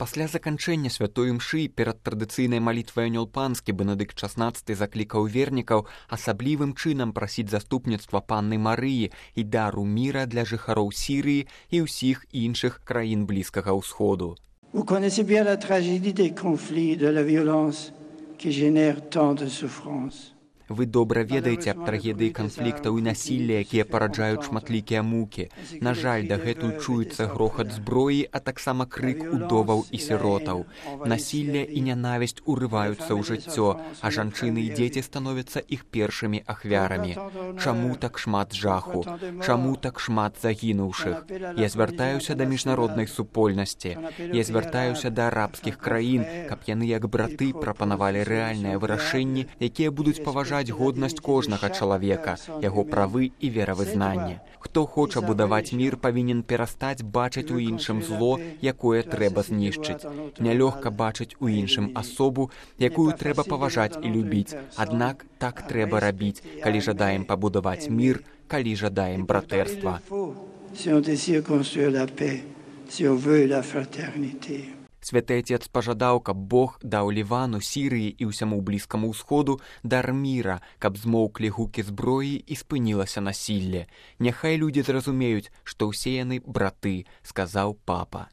Пасля заканчэння святой імшы перад традыцыйнай малітвай анёл панскі Бенедыкт XVI заклікаў вернікаў асаблівым чынам прасіць заступніцтва панны Марыі і дару міра для жыхароў Сірыі і ўсіх іншых краін Блізкага ўсходу. Vous connaissez bien la tragédie des conflits, de la violence qui génère tant de souffrance. Вы добра ведаеце аб трагедыі канфліктаў і насілля, якія параджаюць шматлікія мукі. На жаль, дагэтуль чуецца грохат зброі, а таксама крык удоваў і сіротаў. Насілля і нянавісць урываюцца ў жыццё, а жанчыны і дзеці становяцца іх першымі ахвярамі. Чаму так шмат жаху? Чаму так шмат загінуўшых? Я звяртаюся да міжнароднай супольнасці. Я звяртаюся да арабскіх краін, каб яны як браты прапанавалі рэальныя вырашэнні, якія будуць паважаць годнасць кожнага чалавека, яго правы і веравызнанне. Хто хоча будаваць мір, павінен перастаць бачыць у іншым зло, якое трэба знішчыць. Нялёгка бачыць у іншым асобу, якую трэба паважаць і любіць. Аднак так трэба рабіць, калі жадаем пабудаваць мір, калі жадаем братэрства. Святы Отец пажадаў, каб Бог даў Лівану, Сірыі і ўсяму Блізкаму ўсходу дар міра, каб змоўклі гукі зброі і спынілася насілле. Няхай людзі зразумеюць, што ўсе яны браты, сказаў папа.